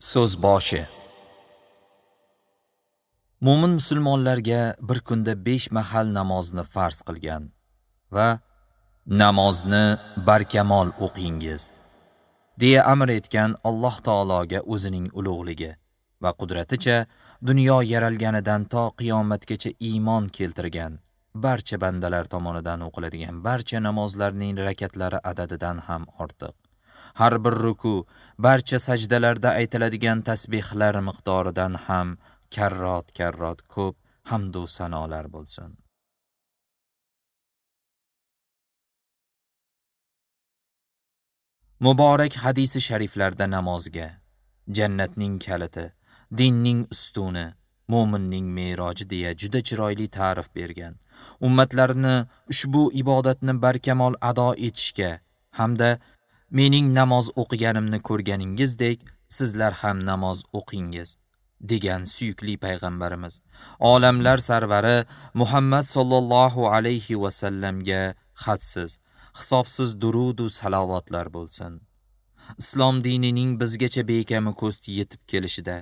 So'z boshi. Mo'min musulmonlarga bir kunda 5 mahal namozni farz qilgan va namozni barkamol o'qingiz deya amr etgan Alloh taologa o'zining ulug'ligi va qudraticha dunyo yaralganidan to qiyomatgacha iymon keltirgan barcha bandalar tomonidan o'qiladigan barcha namozlarning rakatlari adadidan ham ortiq, har bir ruku, barcha sajdalarda aytiladigan tasbihlar miqdoridan ham karrot-karrot ko'p hamd u sanolar bo'lsin. Muborak hadisi shariflarda namozga jannatning kaliti, dinning ustuni, mo'minning me'roji deya juda chiroyli ta'rif bergan. Ummatlarni ushbu ibodatni barkamol ado etishga hamda mening namoz o'qiganimni ko'rganingizdek sizlar ham namoz o'qingiz degan suyukli payg'ambarimiz, olamlar sarvari Muhammad sallallohu alayhi va sallamga hadsiz, hisobsiz durud va salovatlar bo'lsin. Islom dinining bizgacha bekami ko'st yetib kelishida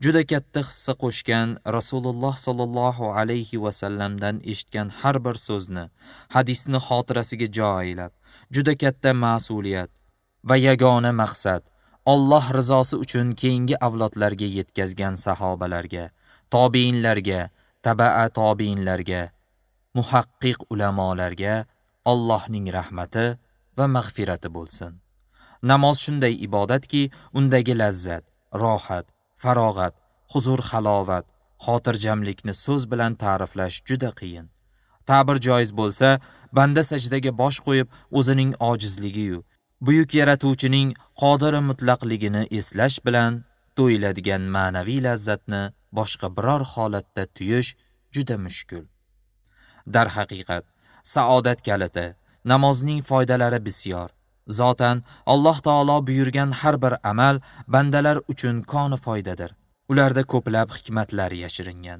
juda katta hissa qo'shgan Rasululloh sallallohu alayhi va sallamdan eshitgan har bir so'zni, hadisni xotirasiga jo aylab, juda katta mas'uliyat va yagona maqsad Alloh rizosi uchun keyingi avlodlarga yetkazgan sahobalarga, tobiinlarga, tabaa tobiinlarga, muhaqqiq ulamolarga Allohning rahmati va mag'firati bo'lsin. Namoz shunday ibodatki, undagi lazzat, rohat, farog'at, huzur, halovat, xotirjamlikni so'z bilan ta'riflash juda qiyin. Ta'bir joiz bo'lsa, banda sajdaga bosh qo'yib, o'zining ojizligi-yu buyuk yaratuvchining qodiri mutlaqligini eslash bilan to'yiladigan ma'naviy lazzatni boshqa biror holatda tuyish juda mushkul. Darhaqiqat, saodat kaliti, namozning foydalari bisyor. Zotan Alloh taolo buyurgan har bir amal bandalar uchun koni foydadir. Ularda ko'plab hikmatlar yashiringan.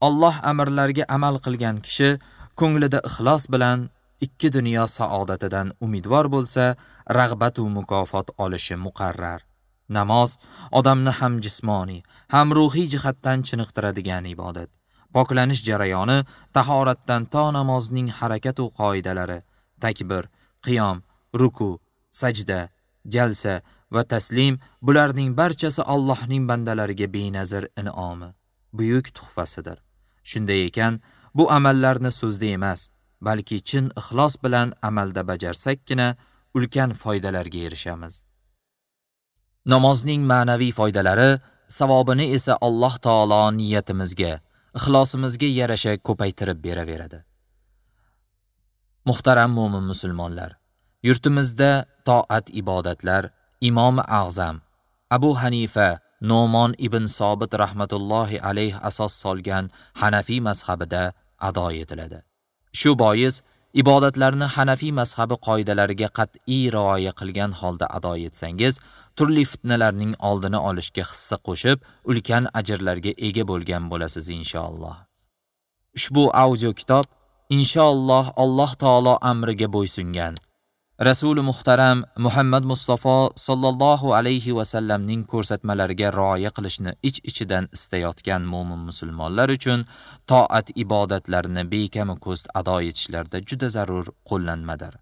Alloh amrlariga amal qilgan kishi ko'nglida ixlos bilan ikki dunyo saodatidan umidvor bo'lsa, rag'bat va mukofot olishi muqarrar. Namoz odamni ham jismoniy, ham ruhiy jihatdan chiniqtiradigan ibodat. Poklanish jarayoni tahoratdan to namozning harakat va qoidalari, takbir, qiyom, ruku, sajda, jalsa va taslim, bularning barchasi Allohning bandalariga benazir in'omi, buyuk tuhfasidir. Shunday ekan, bu amallarni so'zda emas, balki chin ixlos bilan amalda bajarsakkina ulkan foydalarga erishamiz. Namozning ma'naviy foydalari, savobini esa Alloh taolo niyatimizga, ixlosimizga yarasha ko'paytirib beraveradi. Muhtaram mo'min musulmonlar, yurtimizda toat ibodatlar Imom A'zam Abu Hanifa No'mon ibn Sobit rahmatullohi alayh asos solgan Hanafiy mazhabida ado etiladi. Shu bois ibodatlarni Hanafiy mazhabi qoidalariga qat'iy rioya qilgan holda ado etsangiz, turli fitnalarning oldini olishga hissa qo'shib, ulkan ajrlarga ega bo'lgan bo'lasiz inshaalloh. Ushbu audio kitob inshaalloh Alloh taolo amriga bo'ysungan Rasuli muhtaram Muhammad Mustafa sallallohu alayhi va sallamning ko'rsatmalariga rioya qilishni ich-ichidan istayotgan mo'min musulmonlar uchun toat ibodatlarini bekami ko'st ado etishlarda juda zarur qo'llanmadir.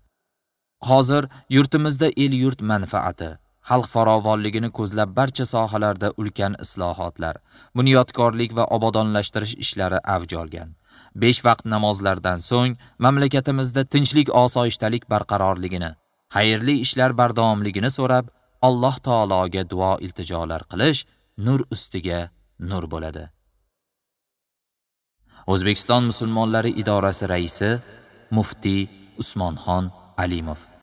Hozir yurtimizda el-yurt manfaati, xalq farovonligini ko'zlab barcha sohalarda ulkan islohotlar, bunyodkorlik va obodonlashtirish ishlari avj olgan. 5 vaqt namozlardan so'ng mamlakatimizda tinchlik, osoyishtalik barqarorligini, xayrli ishlar bardavomligini so'rab, Alloh taologa duo iltijolar qilish nur ustiga nur bo'ladi. O'zbekiston musulmonlari idorasi raisi muftiy Usmonxon Alimov.